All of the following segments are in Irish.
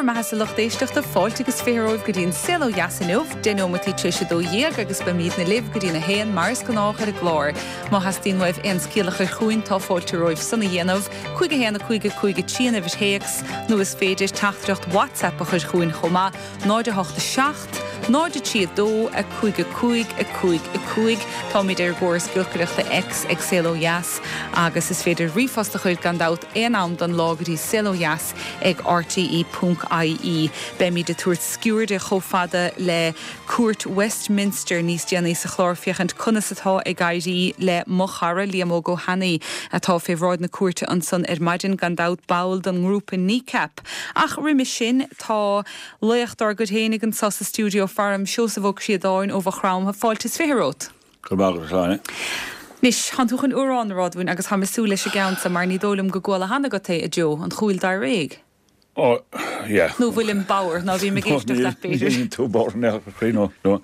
bhur mbeathasa lucht éisteachta, fáilte agus 20 romhaibh go dtí an Saol Ó Dheas inniu, 10 nóimeataí tar éis 12 agus beimídne libh go dtí'n 1 mar is gnách ar an gclár. Má theastaíonn uaibh aon scéal a chur chugainn tá fáilte romhaibh san a dhéanamh, 5 1 5 5 3 an uimhir théacs, nó is féidir teachtaireacht WhatsApp a chur chugainn chomh maith, 0 8 7 0 3 2 5 5 5 5. Táimid ar an gcóras giolcaireachta X ag Saol Ó Dheas agus is féidir ríomhphost a chur gan dabht aon am don lá go dtí saolodheas ag rte ponc ie. Beimid ag tabhairt sciuirde chomh fada le Cúirt Westminster níos déanaí sa chlár féachaint conas atá ag éirí le mo chara Liam Óg Ó hAnnaidh atá fé bhráid na cúirte ansan ar maidin, gan dabht ball don ngrúpa Kneecap. Ach roimhe sin tá laoch dár gcuid fhéinig anso sa stiúideo faram, Seosamh Ó Críodáin ó Mhaigh Chromtha. Fáilte is 20 romhat. Go raibh maith agat, a Shláine. Anois, thánn tú chun amhrán a rá dúinn agus táim ag súil leis an gceann so mar ní dóigh liom go gcuala cheana agat é, a Joe, An Chúil Dáréag. Ó, yeah. Nó bhfuilim bodhar, ná bím ag éisteacht leat, b'fhéidir. Níl tú bodhar in aon chor, no, no.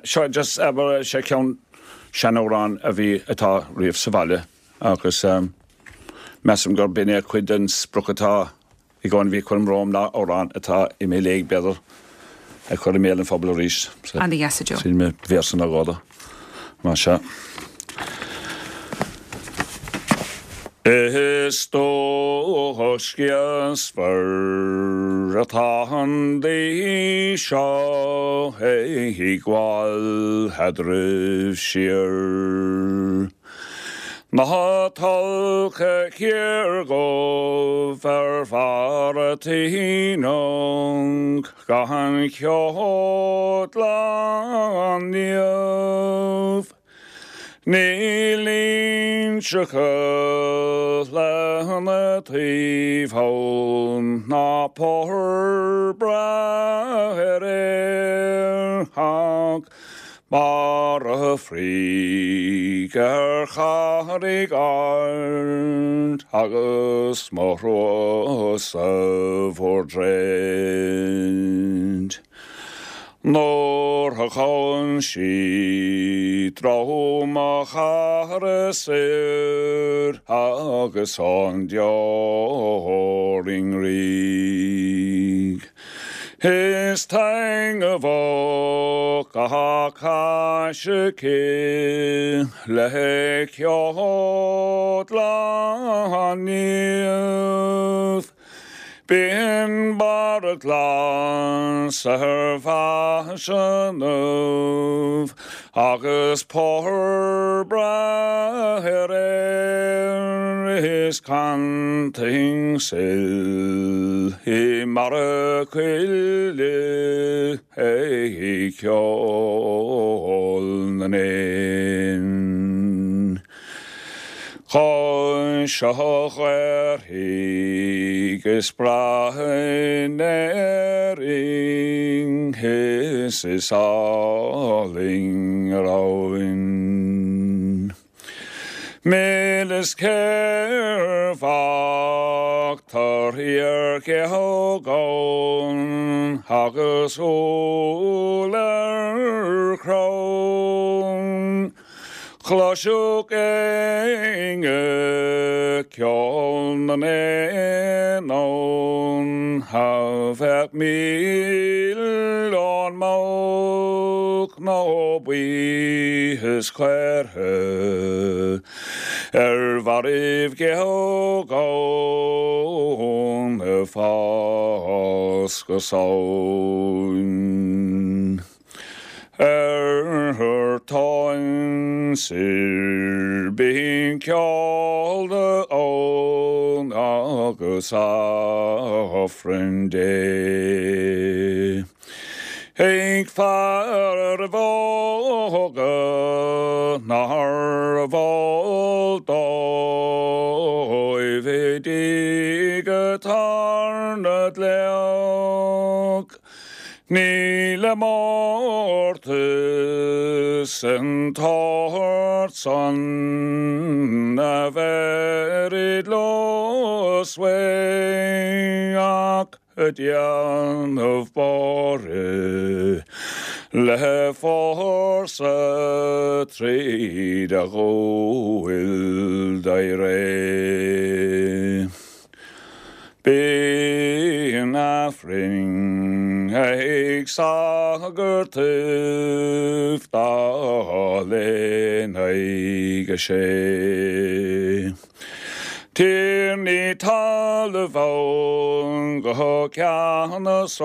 Seo just, abair, sé ceann seanamhrán a bhí, atá riamh sa bhaile agus measaim gur b'in é cuid den sprioc atá I gcónaí bhí cúram romham ná amhrán atá imithe i léig, b'fhéidir, a chur i mbéal an phobail arís. Ana dheas, a Joe. Sin mé véarsa nó dhó de. Mar seo. Is dócha sciosmhar atá an daoi seo ag gabháil eadraibh siar. Ná tolgtha thiar dhubh ar bharr a t-ionann gan cheol an niamh. Níl inseacha lena taobh ann ná pár breá ar aer ach Barra fraoigh ar charraig ard agus mo thrua-sa bhur dtroid. Nuair a ghabhann sí drom mo chara soir agus an deoir i ngrioig. Is taitneamhach gach cais aici le ceol an naoimh. Bíonn barra glas ar faiseanaibh agus pár breá ar aer is cantain suil i mbarra coille ag ceol na n-éan. Cois a ghaorthaidh is breá in Éirinn is is álainn ar abhainn. Mil is céarfach torthaí ar gheog ann agus úll ar chrann. Chloisfeadh éinne ceol na n-éan ann a bheadh milleán muc nó buí is caortha ar bharraibh gheog ann ag fás go Samhain. Ar tóin soir bíonn ceol ann agus Aifreann Dé. Ag fearaibh óga nárbh eol dóibh i dtigh atá na dleacht. Níl i mórtas an tsórt san a bheirid leo svae ach ag déanamh borradh le fórsa tríd a dhúil d'éirigh. Bíonn a. Aifrinn ag sagartaibh dul in aghaidh a sé. Tiarnaí talmhan go ceannasach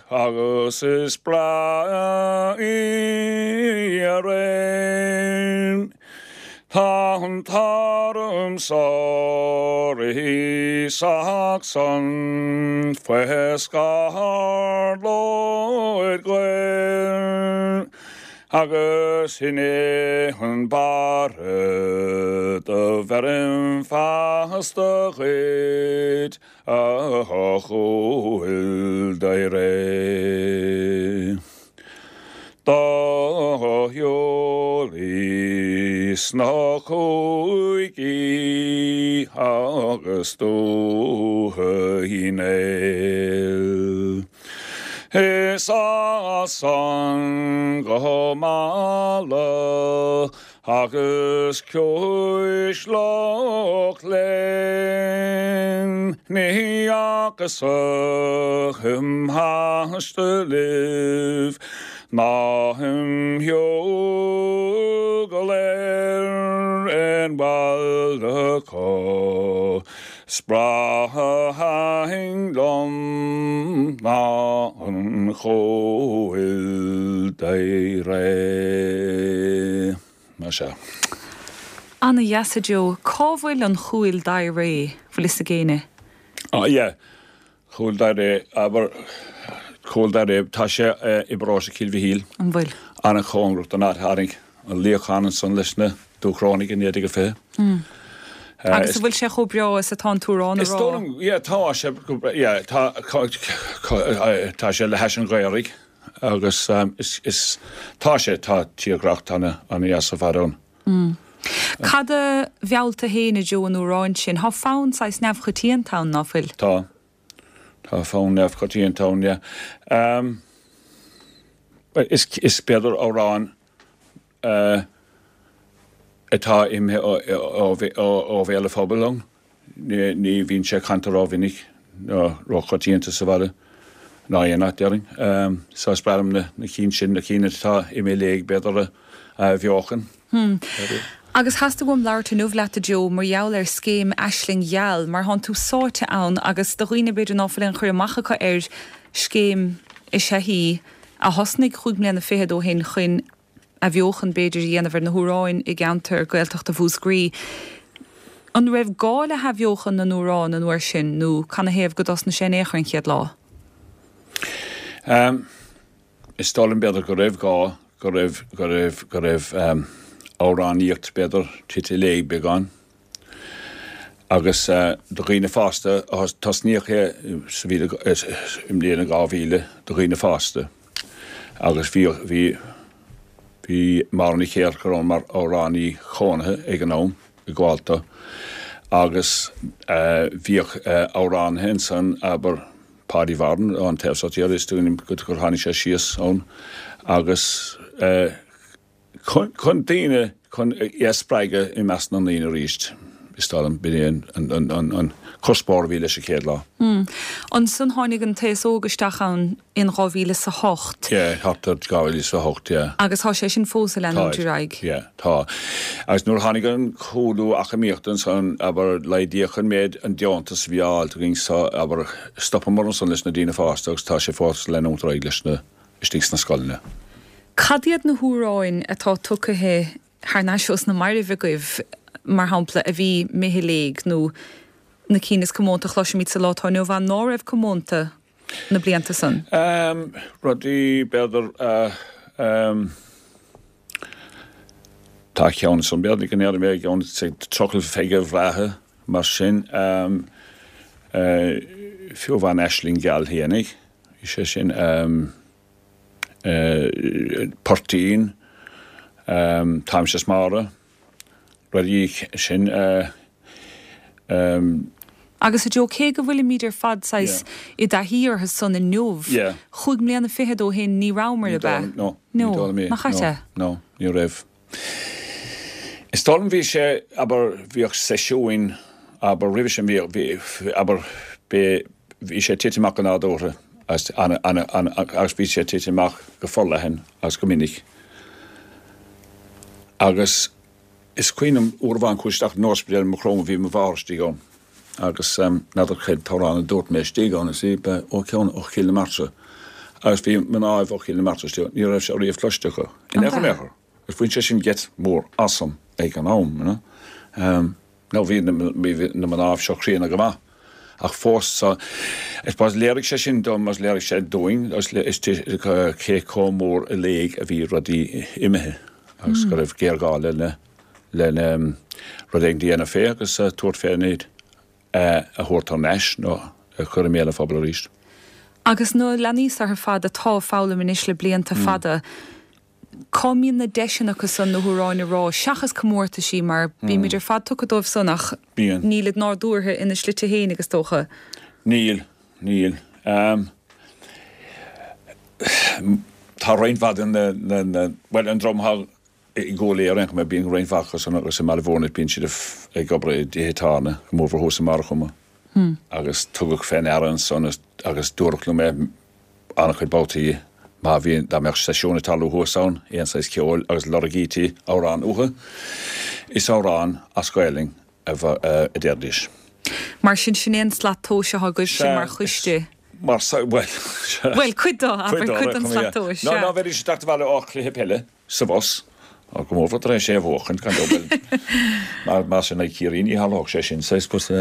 agus is breá í a réim. Tá an t-arm so rí Sacsan faoi scáth Lord Ghael. Agus sin é an barra do bheirim feasta dhuit, a Chúil Daidhre. Do shiúlaí sna cúigí agus dútha Uí Néill. Is as san go Mala agus Ciumhais Loch Léin ní fhacas-sa im thaistealaibh ná im shiúl go léir aon bhaile acu. Is breátha thaitin liom ná an Chúil Daidhre. Más ea. Ana dheas a Joe. Cá bhfuil an Chúil Daidhre? Bhfuil fhios ag éinne? Ah yeah. Cúil Daidhre, abair, Cúil Daidhre, tá sé i bparóiste Chill Mhichíl. An bhfuil? An-chóngarach don áit a tháinig an luíochán ansan leis na Dúchrónaigh i 1920. Agus an bhfuil sé chomh breá is atá an t-amhrán a rá? Is dóigh liom, yeah, tá sé, yeah, tá, tá sé le hais an Ghaorthaidh agus is, is, tá sé, tá tírdhreach ana-dheas ar fad ann. Cad a mheall tú féin a Joe an amhráin sin? Tá fonn saghas neamhchoitianta ann, ná fuil? Tá. Tá fonn neamhchoitianta ann, yeah. Is, is b'fhéidir amhrán atá imithe ó bhéal an phobail ann. Ní bhíonn sé canta rómhinic ná róchoitianta sa bhaile ná aon áit, déarfainn. So is breá liom na cinn sin, na cinn atá imithe i léig, b'fhéidir, a athbheochan. Agus theastaigh uaim labhairt inniu leat, a Joe, mar gheall ar scéim Aisling Gheal, mar thánn tú sáite ann agus do dhaoine b'fhéidir ná fuil aon chur amach acu air, scéim is ea í a thosnaigh chúig mbliana fichead ó shin chun athbheochan, b'fhéidir, a dhéanamh ar na hamhráin i gceantar Gaeltachta Mhúscraí. An raibh gá le hathbheochan na n-amhrán an uair sin nó canathaobh go dtosnaigh sé in aon chor an chéad lá? Is dóigh liom, b'fhéidir, go raibh gá, go raibh, go raibh, go raibh amhránaíocht, b'fhéidir, tite i léig beagán. Agus do dhaoine fásta, tosnaíodh é sa i mbliain 2000 do dhaoine fásta agus bhí, bhí, bhí Máire Ní Chéilleachair ann mar amhránaí chónaithe ag an am i gComhalta agus bhíodh amhránaithe ansan, abair, Paddy Vaughan ón taobh seo tíre, is dóigh liom gur tháinig sé síos ann agus chun daoine, chun é a spreagadh i measc na ndaoine arís, is dóigh liom, b'in é an cuspóir a bhí leis an chéad lá. Ansan tháinig an t-aos óg isteach ann in 2008. Yeah, thart ar 2008, yeah. Agus tá sé sin fós ag leanúint ar aghaidh. Yeah, tá. Agus nuair a tháinig an cúlú eacnamaíochta ansan, abair, laghdaíodh an méid, an deontas a bhí á fháilt againn so, abair, stopamar ansan leis na daoine fásta agus tá sé fós ag leanúint ar aghaidh leis na, istigh sna scoileanna. Cad iad na hamhráin atá tugtha thar n-ais ós na mairbh agaibh, mar shampla, a bhí imithe i léig nó na cinn is comónta a chloisimid sa lá atá inniu ann ná raibh comónta na blianta san? Rudaí, b'fhéidir, tá ceann ansan, b'fhéidir go ndéarfaidh mé, ceann Trucail Pheige Bhreátha, mar sin, fiú amháin Aisling Gheal fhéinig, bhí sé sin, Poirtín, Táimse is Máire, rudaí sin. Agus a Joe, cé go bhfuilimid ar fad saghas i dtaithí orthu san inniu, chúig mbliana fichead ó shin ní rabhamar, ab ea? No, ní dóigh liom é. Nach ait é? No, ní raibh. Is dóigh liom bhí sé, abair, bhíodh seisiúin, abair, roimhe sin bhíodh, abair, b'é. Bhí sé ag titim amach go nádúrtha agus agus bhí sé ag titim amach go forleathan agus go minic. Agus is cuimhin liom uair amháin chuas isteach in ospidéal i Maigh Chromtha, bhí mo mháthair istigh ann agus n'fheadar cén t-amhrán a dúirt mé istigh ann, is í ba ó ceann ó Chill na Martra agus bhí mnáibh ó Chill na Martra istigh ann, ní raibh sé riamh cloiste acu in aon chor in aon chor. Agus bhain sé sin geit mór asam ag an am, you know. Now bhí na, bhí na mnáibh seo críonna go maith ach fós so I suppose léirigh sé sin dom agus léirigh sé dúinn agus is cé chomh mór i léig a bhí rudaí imithe agus go raibh géarghá lena, lena rud éigin a dhéanamh fé agus tabhairt fé iad a thabhairt thar n-ais nó a chur i mbéal an phobail arís. Agus na leanaí seo ar fad atá ag foghlaim anois le blianta fada, Cá mbíonn na deiseanna acu san na hamhráin a rá, seachas comórtaisí, mar bímid ar fad tugtha dóibh san ach Bíonn. nílid nádúrtha ina slite fhéinig is dócha. Níl, níl. Tá roinnt mhaith de na, na, na, bhuel an dream atá i gCúil Aodha ar aon chuma, bíonn roinnt mhaith acu san agus i mBaile Bhúirne, bíonn siad ag obair i dtithe tábhairne, go mórmhór thuas i mBarr an Chuma. Agus tugadh fé ndeara ansan agus dúradh liom é, an-chuid babhtaí má bhí, dá mbeadh seisiún ag tarlú thuas ann, aon saghas ceoil agus lorgaítí amhrán uathu, is amhrán as Gaelainn a a déarfaidís. Mar sin, sin é an slat tomhais atá agaibhse mar choiste. Mar, bhuel, sea. Bhuel, cuid de, abair, cuid den slat tomhais, sea. Nó ná bheidís ag teacht abhaile ó chluiche peile sa bhus, go mórmhór tar éis é a bhuachaint, gan dabht, bhuel, más in aghaidh Chiarraí ní tharlódh sé sin, saghas, but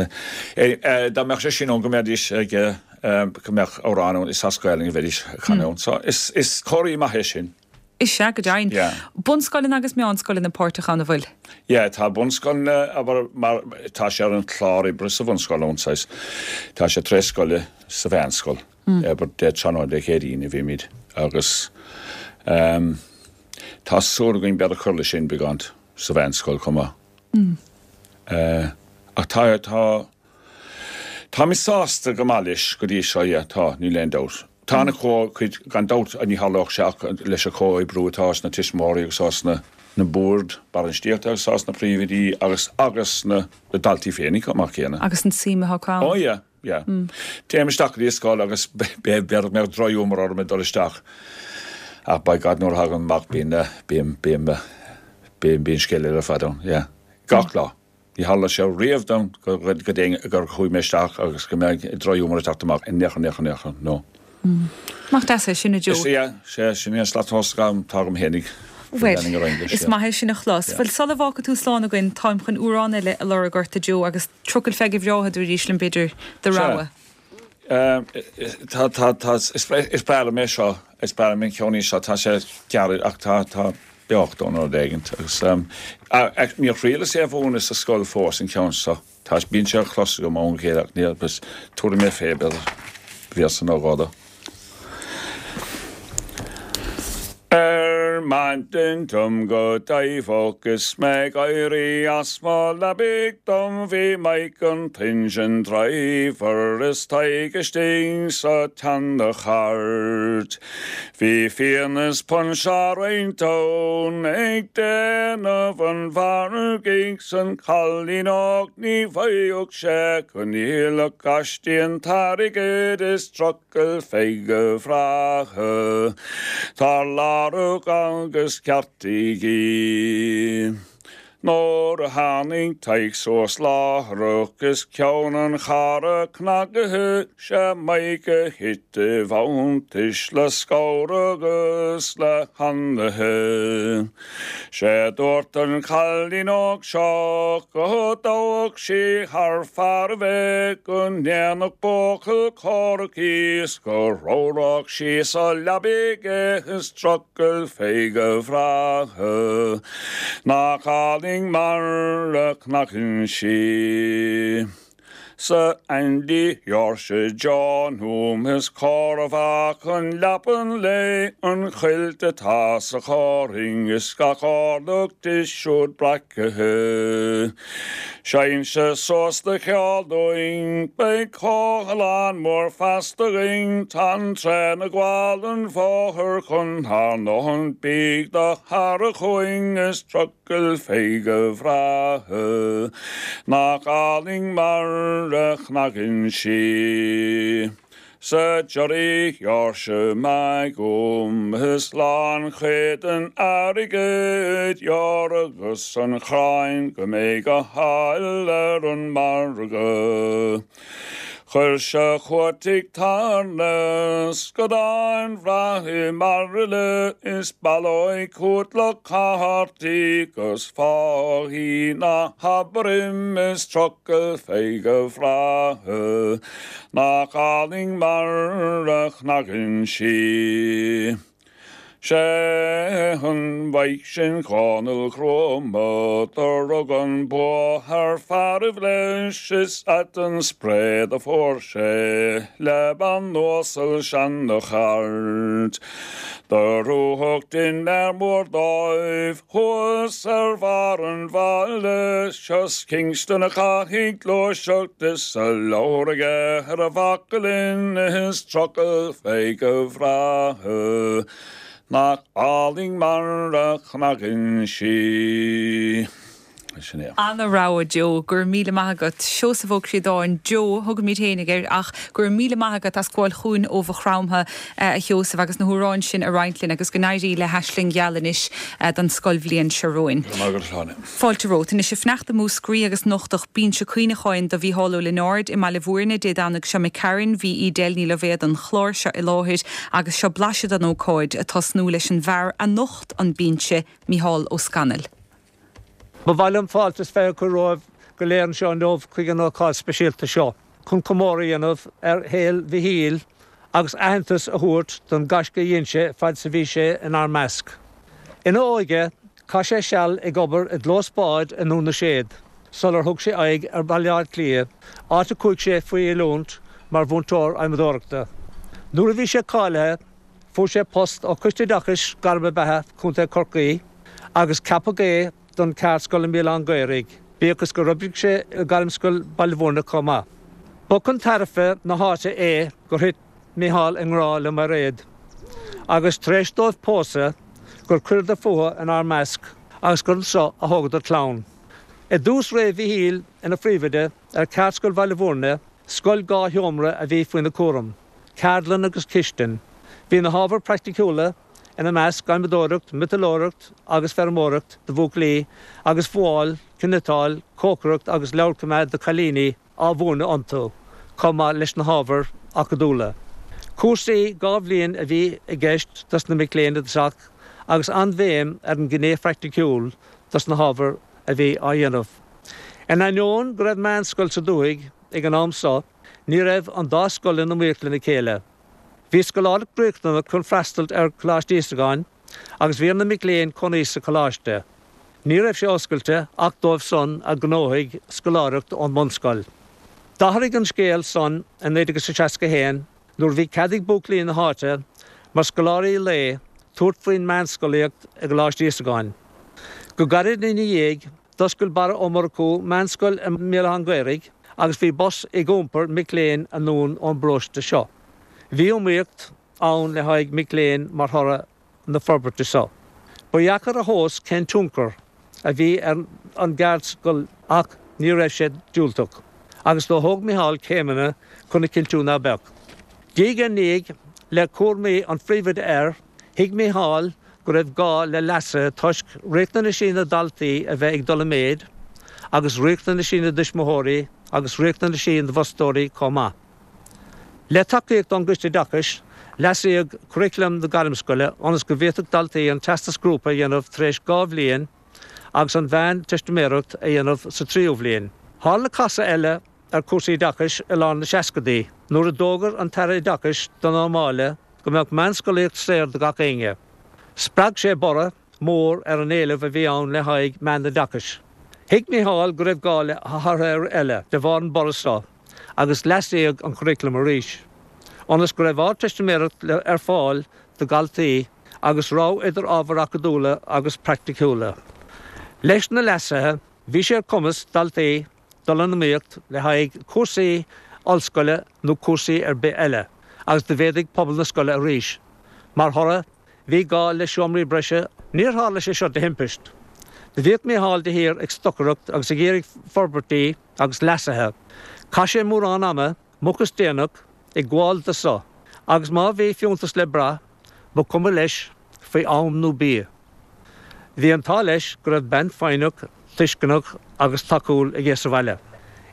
dá mbeadh sé sin ann go mbeidís ag, go mbeadh amhrán ann, is as Gaelainn a bheidís ag canadh ann. So is, is comhartha maith é sin. Is ea, go deimhin. Yeah. Bunscoileanna agus meánscoileanna páirteach ann, an bhfuil? Yeah, tá bunscoileanna, abair, mar, tá sé ar an chlár oibre sa bhunscoil ann, saghas, tá sé tar éis scoile sa mheánscoil. Abair Dé tráthnóna Dé Céadaoin a bhímid agus tá súil againn b'fhéidir cur leis sin beagán sa mheánscoil chomh maith. Ach tá, tá, táimid sásta go maith leis go dtí seo, yeah, tá, níl aon dabht. Tá ana chuid, gan dabht, ní tharlódh sé ach leis an chomhoibriú atá ós na tuismitheoirí agus ós na na boird bainistíochta agus ós na príomhoidí agus agus na daltaí féinig chomh maith céanna. Agus an tsuim atá acu ann. Oh yeah. Yeah. Téim isteach go dtí an scoil agus b'fhéidir go mbeadh drochghiúmar orm ag dul isteach. Ach by God nuair a thagaim amach bíonn, bíonn, bíonn, bíonn, bíonn scéal eile ar fad ann. Yeah. Gach lá. Ní tharla sé riamh dom go, go, go dtéinn, gur chuaigh mé isteach agus go mbeadh drochghiúmar ag teacht amach in aon chor, in aon chor, in aon chor. No. Nach deas é sin, a Joe? Is ea, sea, sin é an slat tomhais atá agam fhéinig. Bhuel, is maith é sin a chlos. Bhuel, sula bhfágfaidh tú slán againn, táim chun amhrán eile a lorg ort, a Joe, agus trucail pheige bhreá a dtabharfaidís liom, b'fhéidir, do rogha. Tá, tá, tá, is breá liom é seo, is breá liom an ceann seo, tá sé gearr ach tá, tá beocht ann nó rud éigint agus níor thriaileas é a mhúineadh sa scoil fós, an ceann seo. Tá, bíonn sé á chlos agam ó am go chéile ach níl, agus tabharfaidh mé fé, b'fhéidir, véarsa nó dhó de. Ar maidin dom go daimheach is mé ag éirí as mo leabaidh dom bhí Mike an t-engine driver is Tadhg istigh sa tseana-chairt. Bhí fíon is punch á roinnt ann ag déanamh an mhargaidh 's an cailín óg ní bhfaigheadh sé go ndíolfadh aisti an t-airgead is trucail pheige bhreátha. Tar lárach agus ceartaígí. Nuair a tháinig Tadhg suas láithreach is ceann an charra cnagaithe, 'sé Mike a thit i bhfanntais le scamhar agus le hanaithe. 'Sé dúirt an cailín óg seo go dtoghfadh sí thar fearaibh é, go ndéanfadh buachaill comhraic í 's go ramhródh sí sa leabaidh é is trucail pheige bhreátha. Nach álainn mar a chnagann sí. 'S a Aindí Sheoirse John Hume is córbh an leapan léi an chuilt atá sa chorn is gach orlach di siúd breacaithe. Seinn-se suas do cheol dúinn, beidh cothallán mór feasta againn, tá an traein ag gabháil an bhóthair chun ár ndóthain bídh do thaire chugainn is trucail pheige bhreátha. Nach álainn mar. mar a chnagann sí. Sa giorria ghearr sé mé dhom is lánchuid den airgead ghearr agus an chráin go mbeidh go háil ar an margadh. Chuir sé chugat tigh tábhairne scadán bhreá i mbairille is baileoidh chugat le cártaí 'gus fág í ná habair im is trucail fé go bhreá Nach álainn mar a chnagann sí. Sé an mhaith sin Dhónaill Ghruama do rug an bua thar fearaibh leis is ait an spré do fuair sé le bean uasal seana-chairt. Do rugadh dinnéar mór dóibh thuas ar bharr an bhaile sios Kingston a chaithfidh gluaiseacht is a leabhar aige ar a bhaclainn is trucail fé go bhreá nach álainn mar a chnagann sí. Sin é. Ana-rogha, Joe. Go raibh míle maith agat. Seosamh Ó Críodáin, Joe a thugaimid fhéinig air ach go raibh míle maith agat as gabháil chugainn ó Mhaigh Chromtha, a Sheosaimh, agus na hamhráin sin a roinnt linn agus go n-éirí le hAisling Gheal anois don scoilbhliain seo romhainn. Go raibh maith agat, a Shláine. Fáilte romhat. Anois, ag fanacht i Múscraí agus nochtadh Binse Cuimhneacháin do Mhícheál Ó Lionáird i mBaile Bhúirne Dé Domhnaigh seo imigh tharainn. Bhí Edel Ní Loibhéad an chláir seo i láthair agus seo blaiseadh den ócáid, ag tosnú leis an bhfear a nocht an binse, Mícheál Ó Scanaill. Ba mhaith liom fáilte is fearr a chur romhaibh go léir anseo inniu chuig an ócáid speisialta seo chun comóradh a dhéanamh ar shaol Mhichíl agus aitheantas a thabhairt don gaisce a dhein sé fad is a bhí sé inár measc. Ina óige, chaith sé seal ag obair i gclós báid i nDún na Séad sular thug sé aghaidh ar Bhaile Átha Cliath, áit a chuaigh sé faoi oiliúint mar mhúinteoir adhmadóireachta. Nuair a bhí sé cáilithe, Fuair sé post ó Choiste Oideachais Gairme Beatha Chontae Chorcaí agus ceapadh é don cheardscoil i mBéal Átha an Ghaorthaidh, bíodh is gur oibrigh sé i Gairmscoil Baile Bhúirne chomh maith. Ba chun tairbhe na háite é gur thit Micheál i ngrá le Mairéad agus, tar éis dóibh pósadh, gur chuireadar fúthu inár measc agus gur anseo a thógadar clann. I dtús ré Mhichíl ina phríomhoide ar Cheardscoil Bhaile Bhúirne, scoil 2 sheomra a bhí faoina cúram. ceardlann agus cistin. Bhí na hábhair praiticiúla, ina measc, adhmadóireacht, miotalóireacht agus feirmeoireacht do bhuachaillí agus fuáil, cniotáil, cócaireacht agus leabharchoimeád do chailíní, á mhúineadh iontu, chomh maith leis na hábhair acadúla. Cúrsaí 2 bhliain a bhí i gceist dos na mic léinn i dtosach agus an-bhéim ar an ghné phraiticiúil dos na hábhair a bhí á dhéanamh. In ainneoin go raibh meánscoil sa dúthaigh ag an am so, Ní raibh an dá scoil in iomaíocht lena chéile. Bhí scoláireacht riachtanach chun freastal ar Choláiste Íosagáin agus bhí ar na mic léinn cónaí sa choláiste. Ní raibh sé oscailte ach dóibh san a ghnóthaigh scoláireacht ón mbunscoil. D'athraigh an scéal san i 1961 nuair a bhí cead ag buachaillí na háite mar scoláirí lae tabhairt faoin meánscolaíocht i gColáiste Íosagáin. Go gairid ina dhiaidh D'oscail Barra Ó Murchú meánscoil i mBéal Átha an Ghaorthaidh agus bhí bus ag iompar mic léinn anonn ón bparóiste seo. Bhí iomaíocht ann le haghaidh mic léinn mar thoradh na forbairte seo. Ba dheacair a thomhas cén tionchar a bhí ar an gceardscoil ach ní raibh sé diúltach agus do thóg Micheál céimeanna chun a chinntiú ná beadh. Diaidh ar ndiaidh, le cúraimí an phríomhoide air, thuig Micheál go raibh gá le leasuithe toisc riachtanaisí na ndaltaí a bheith ag dul i méid agus riachtanaisí na dtuismitheoirí agus riachtanaisí na bhfostóirí chomh maith. Le tacaíocht ón gCoiste Oideachais, leasaíodh curaclam na gairmscoile ionas go bhféadfadh daltaí an Teastas Grúpa a dhéanamh tar éis 2 bhliain agus an Mheánteistiméireacht a dhéanamh sa tríú bhliain. Tharla casadh eile ar chúrsaí oideachais i lár na seascadaí nuair a d'fhógair an tAire Oideachais Donnchadh Ó Máille go mbeadh meánscolaíocht saor do gach éinne. Spreag sé borradh mór ar an éileamh a bhí ann le haghaidh meánoideachais. Thuig Micheál go raibh gá le hathruithe eile de bharr an borradh seo agus leasaíodh an curaclam arís, ionas go raibh Ardteistiméireacht ar fáil do dhaltaí agus rogha idir ábhair acadúla agus praiticiúla. Leis na leasuithe, bhí sé ar chumas daltaí dul in iomaíocht le haghaidh cúrsaí ollscoile nó cúrsaí ar bith eile agus do mhéadaigh pobal na scoile arís. Mar thoradh, bhí gá le seomraí breise. Níor tharla sé seo de thimpist. Do bhíodh Micheál de shíor ag stocaireacht agus ag iarraidh forbairtí agus leasuithe. Chaith sé mórán ama, moch is déanach, ag gabháil do so, agus má bhí fiúntas le brath, ba chuma leis faoi am nó bia. Bhí an t-ádh leis go raibh bean foighneach, tuisceanach agus tacúil aige sa bhaile.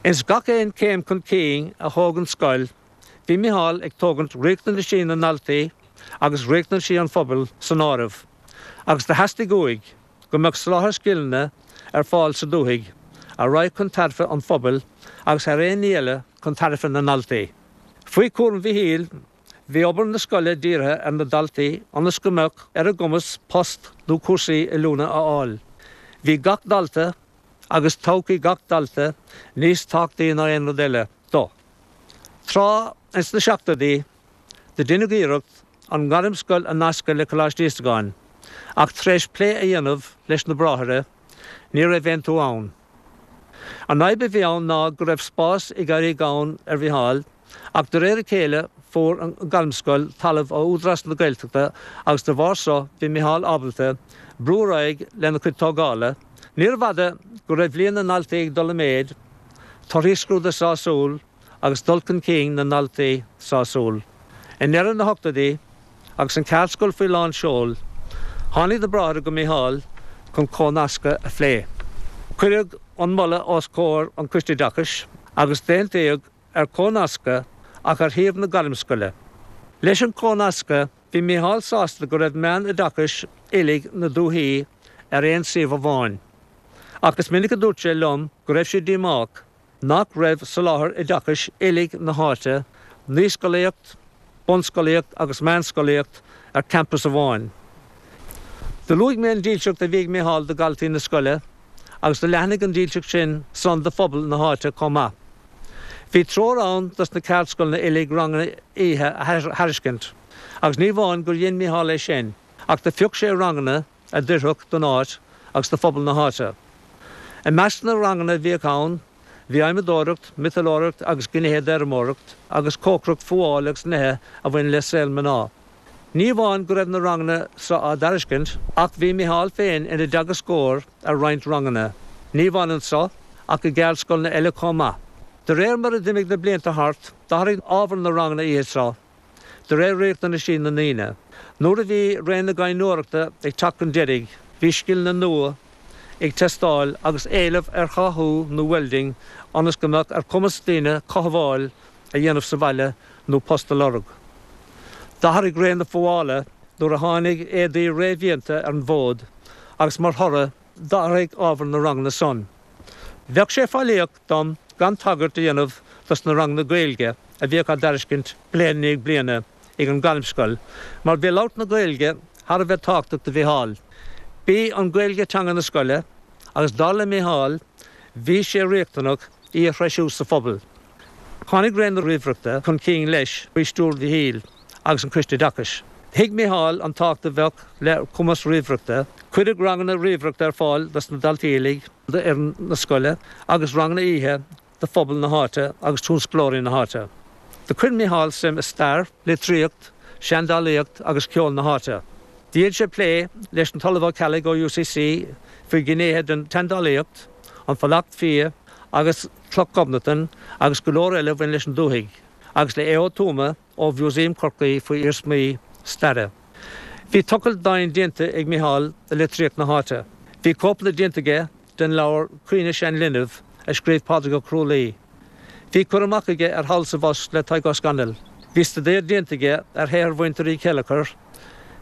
Ins gach aon céim chun cinn a thóg an scoil, bhí Micheál ag tógaint riachtanaisí na ndaltaí agus riachtanaisí an phobail san áireamh, agus do theastaigh uaidh go mbeadh soláthar scileanna ar fáil sa dúthaigh a raghadh chun tairbhe an phobail agus thar aon ní eile chun tairbhe na ndaltaí. Faoi chúram Mhichíl, bhí obair na scoile dírithe ar na daltaí ionas go mbeadh ar a gcumas post nó cúrsaí oiliúna a fháil. Bhí gach dalta agus todhchaí gach dalta níos tábhachtaí ná aon rud eile dó. Tráth ins na seachtóidí, do deineadh iarracht an Ghairmscoil a nascadh le Coláiste Íosagáin, ach tar éis plé a dhéanamh leis na Bráithre, ní raibh aontú ann. An fhadhb a bhí ann ná go raibh spás ag éirí gann ar Mhicheál, ach de réir a chéile fuair an Ghairmscoil talamh ó Údarás na Gaeltachta agus de bharr so bhí Micheál ábalta brú ar aghaidh lena chuid tógála. Níorbh fhada go raibh líon na ndaltaí ag dul i méid, torthaí scrúduithe sásúil agus dul chun cinn na ndaltaí sásúil. I ndeireadh na hochtóidí, agus an cheardscoil faoi lán seoil, tháinig na Bráithre go Micheál chun comhnascadh a phlé. Cuireadh an moladh os comhair an Choiste Oideachais agus d'aontaíodh ar chomhnascadh ach ar shuíomh na Gairmscoile. Leis an chomhnascadh bhí Micheál sásta go raibh meán-oideachais uilig na dúthaí ar aon suíomh amháin. Ach is minic a dúirt sé liom go raibh sé díomách nach raibh soláthar oideachais uilig na háite, naíscolaíocht, bunscolaíocht agus meánscolaíocht, ar campas amháin. Do luaigh mé an dílseacht a bhí ag Micheál do dhaltaí na scoile agus do leathnaigh an dílseacht sin san do phobal na háite chomh maith. Bhí treoir ann dos na ceardscoileanna uilig ranganna oíche a thairiscint agus ní amháin gur dhein Micheál é sin ach do phioc sé ranganna a d'oirfeadh don áit agus do phobal na háite. I measc na ranganna a bhíodh ann bhí adhmadóireacht, miotalóireacht agus gnéithe d'fheirmeoireacht agus cócaireacht, fuáil agus nithe a bhain le saol mná. Ní amháin go raibh na ranganna seo á dtairiscint ach bhí Micheál féin ina dteagascóir ar roinnt ranganna, ní amháin anso ach i gceardscoileanna eile chomh maith. De réir mar a d'imigh na blianta thart, d'athraigh ábhar na ranganna oíche seo de réir riachtanaisí na ndaoine. Nuair a bhí ré na gaibhneoireachta ag teacht chun deiridh, bhí scileanna nua ag teastáil agus éileamh ar cháthú nó welding ionas go mbeadh ar chumas daoine cothabháil a dhéanamh sa bhaile nó post a lorg. D'athraigh ré na fuála nuair a tháinig éadaí réamhdhéanta ar an bhfód agus mar thoradh d'athraigh ábhar na ranganna san. Bheadh sé faillíoch dom gan tagairt a dhéanamh dos na ranganna Gaeilge a bhíodh á dtairiscint bliain i ndiaidh bliana ag an Ghairmscoil mar bhí labhairt na Gaeilge thar a bheith tábhachtach do Mhicheál. B'í an Ghaeilge teanga na scoile agus dar le Micheál bhí sé riachtanach í a threisiú sa phobal. Tháinig ré na ríomhaireachta chun cinn leis faoi stiúir Mhichíl agus an Coiste Oideachais. Thuig Micheál an tábhacht a bheadh le cumas ríomhaireachta. Cuireadh ranganna ríomhaireachta ar fáil dos na daltaí uilig, d'fhoireann na scoile agus ranganna oíche do phobal na háite agus tionsclóirí na háite. Do chuir Micheál suim i stair, litríocht, seandálaíocht agus ceol na háite. Dhein sé plé leis an tOllamh Ó Ceallaigh ó UCC faoi ghnéithe den tseandálaíocht, an Fulacht Fia agus Cloch Ghobnatan agus go leor eile a bhain leis an dúthaigh, agus le Aodh Ó Tuama ó Mhúsaem Chorcaí faoi iarsmaí staire. Bhí tochailt domhain déanta ag Micheál i litríocht na háite. Bhí cóipeanna déanta aige den leabhar Caoineadh Sean Linbh a scríobh Pádraig Ó Cruadhlaoich. Bhí cur amach aige ar Thall 's Abhus le Tadhg Ó Scanaill. Bhí staidéar déanta aige ar shaothar mhuintir Uí Chéilleachair,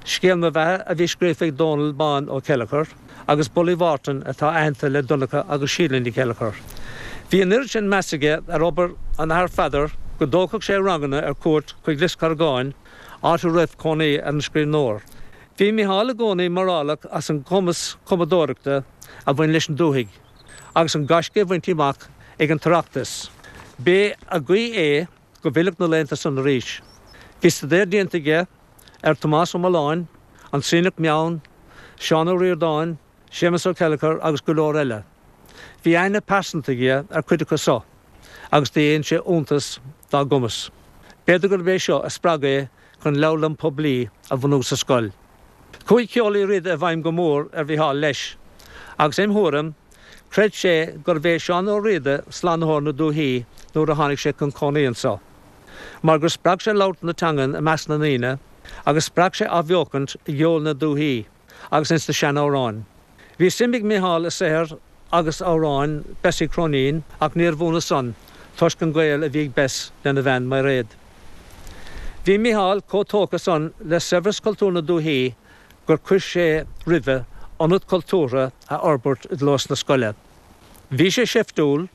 Scéal mo Bheatha a bhí scríofa ag Dónal Bán Ó Céilleachair agus Bullaí Mhártain atá aitheanta le Donncha agus Síle Ní Chéilleachair. Bhí an oiread sin meas aige ar obair an Athar Pheadar go dtógfadh sé ranganna ar cuairt chuig Lios Corragáin, áit a raibh cónaí ar an scríbhneoir. Bhí Micheál i gcónaí mórálach as an gcumas cumadóireachta a bhain leis an dúthaigh agus an gaisce a bhaintí amach ag an tOireachtas. B'é a ghuí é go bhfillfeadh na laethanta san arís. Bhí staidéar déanta aige ar Thomás Ó Mealláin, An Sionnach Meann, Seán Ó Ríordáin, Séamus Ó Céilleachair agus go leor eile. Bhí aithne pearsanta aige ar chuid acu so agus do dhein sé iontas dá gcumas. B'fhéidir gurb é seo a spreag é chun leabharlann poiblí a bhunú sa scoil. Chuaigh ceol Uí Riada i bhfeidhm go mór ar Mhicheál leis, agus im thuairim. Chreid sé gurbh é Seán Ó Riada slánaitheoir na dúichí nuair a tháinig sé chun cónaí anso, mar gur spreag sé labhairt na teangan i measc na ndaoine agus spreag sé athbheochaint i gceol na dúichí agus ins na sean-amhráin. Bhí suim ag Micheál i saothar agus amhráin Bessie Chróinín ach níorbh ionadh san toisc an gaol a bhí ag Bess lena bhean Mairéad. Bhí Micheál chomh tógtha san le saibhreas cultúr na dúichí gur chuir sé roimhe ionad cultúrtha a fhorbairt i gclós na scoile. Bhí sé seiftiúil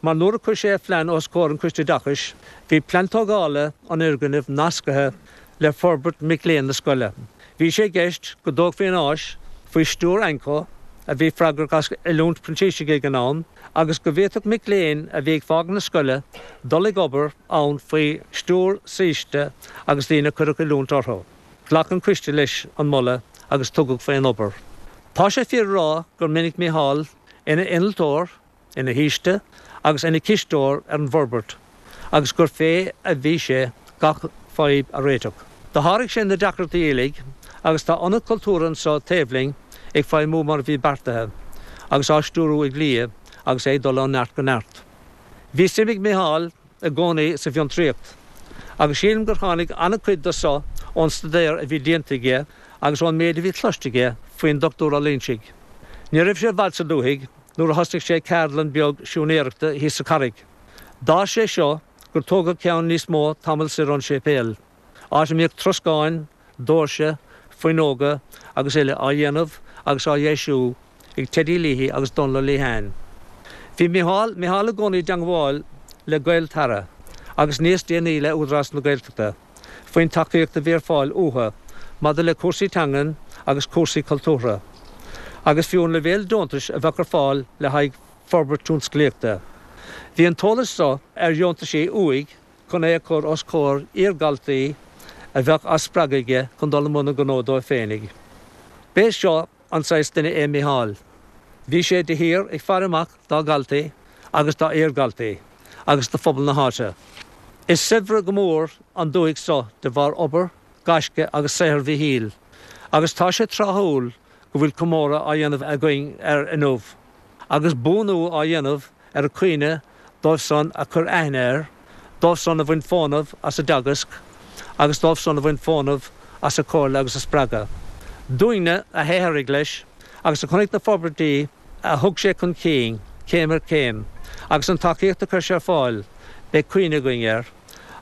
mar nuair a chuir sé a phlean os comhair an Choiste Oideachais, bhí plean tógála an fhoirgnimh nascaithe le forbairt mic léinn na scoile. Bhí sé i gceist go dtógfaí an áis faoi stiúir Anco, a bhí freagrach as oiliúint printísigh ag an am, agus go bhféadfadh mic léinn a bhí ag fágaint na scoile dul ag obair ann faoi stiúir saoiste agus daoine a cuireadh oiliúint orthu. Ghlac an coiste leis an moladh agus tugadh faoin obair. Tá sé fíor a rá gur minic Mícheál ina innealtóir, ina shaoiste agus ina chisteoir ar an bhforbairt agus gur fé a bhí sé gach fadhb a réiteach. Do sháraigh sé na deacrachtaí uilig agus tá ionad cultúrtha anso taobh linn ag feidhmiú mar a bhí beartaithe agus á stiúrú ag Lia agus é ag dul ó neart go neart. Bhí suim ag Mícheál i gcónaí sa bhfiontraíocht agus sílim gur tháinig an-chuid de so ón staidéar a bhí déanta aige agus ón méid a bhí cloiste aige faoin Dr. Ó Loingsigh. Ní raibh sé i bhfad sa dúthaigh nuair a thosnaigh sé ceardlann beag siúinéireachta thíos sa Charraig. D'fhás sé seo gur tógadh ceann níos mó tamall soir ón séipéal, áit a mbíodh troscáin, doirse, fuinneoga agus uile á dhéanamh agus á dheisiú ag Teddy Leahy agus Donal Lehane. Bhí Micheál Micheál i gcónaí i dteangmháil le Gaeltarra agus níos déanaí le Údarás na Gaeltachta faoin tacaíocht a bhí ar fáil uathu maidir le cúrsaí teangan agus cúrsaí cultúrtha agus fiú an leibhéal deontais a bheadh ar fáil le haghaidh forbairt tionsclaíochta. Bhí an t-eolas so ar dheontaisí uaidh chun é a chur os comhair iar-dhaltaí a bheadh á spreagadh aige chun dul i mbun a ngnó dóibh féinig. B'é seo an saghas duine é Micheál. Bhí sé de shíor ag faire amach dá dhaltaí agus dá iar-dhaltaí agus do phobal na háite. Is saibhre go mór an dúthaigh so de bharr obair, gaisce agus saothar Mhichíl agus tá sé tráthúil go bhfuil comóradh á dhéanamh againn air inniu agus buanú á dhéanamh ar a chuimhne dóibh san a chuir aithne air, dóibh san a bhain fónamh as a dteagasc agus dóibh san a bhain fónamh as a chomhairle agus a spreagadh. Dúinne a shaothraigh leis agus a chonaic na forbairtí a thug sé chun cinn, céim ar chéim, agus an tacaíocht a chuir sé ar fáil, beidh cuimhne againn air